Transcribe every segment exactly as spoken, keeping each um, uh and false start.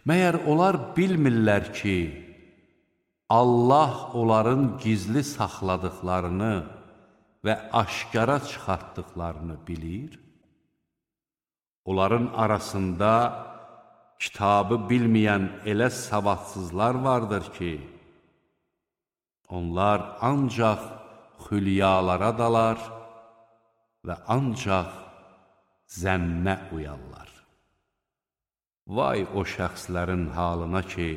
Məyər onlar bilmirlər ki, Allah onların gizli saxladıqlarını və aşkara çıxartdıqlarını bilir? Onların arasında kitabı bilməyən elə savadsızlar vardır ki, onlar ancaq xülyalara dalar və ancaq zənnə uyarlar. Vay o şəxslərin halına ki,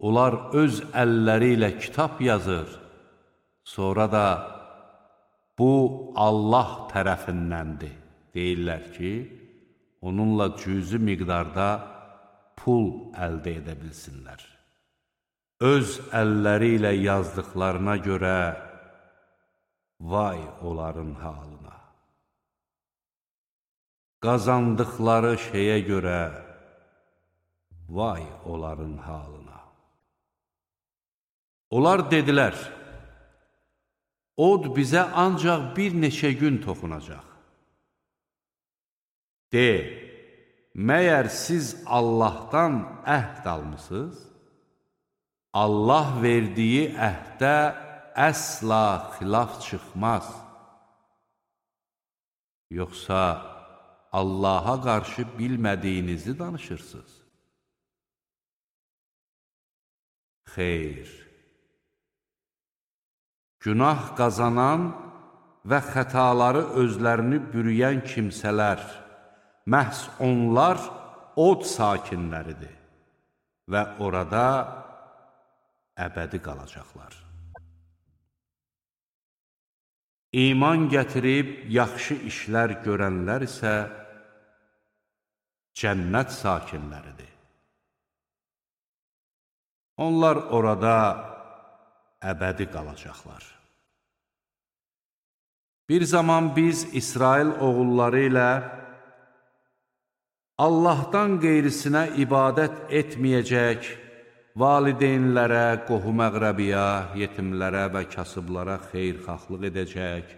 onlar öz əlləri ilə kitab yazır, sonra da bu Allah tərəfindəndir deyirlər ki, onunla cüzi miqdarda pul əldə edə bilsinlər. Öz əlləri ilə yazdıqlarına görə vay onların halına. Qazandıqları şeyə görə vay onların halına. Onlar dedilər, od bizə ancaq bir neçə gün toxunacaq. De, məyər siz Allahdan əhd almısınız? Allah verdiyi əhdə əsla xilaf çıxmaz. Yoxsa Allaha qarşı bilmədiyinizi danışırsınız? Xeyr. Günah qazanan və xətaları özlərini bürüyən kimsələr, məhz onlar od sakinləridir və orada əbədi qalacaqlar. İman gətirib yaxşı işlər görənlər isə cənnət sakinləridir. Onlar orada əbədi qalacaqlar. Bir zaman biz İsrail oğulları ilə Allahdan qeyrisinə ibadət etməyəcək, valideynlərə, qohum-əqrəbiyə, yetimlərə və kasıblara xeyirxahlıq edəcək,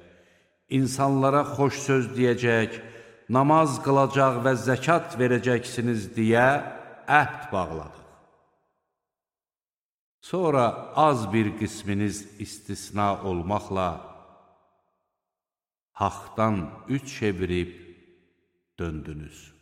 insanlara xoş söz deyəcək, namaz qılacaq və zəkat verəcəksiniz deyə əhd bağladıq. Sonra az bir qisminiz istisna olmaqla haqdan üç çevirib döndünüz.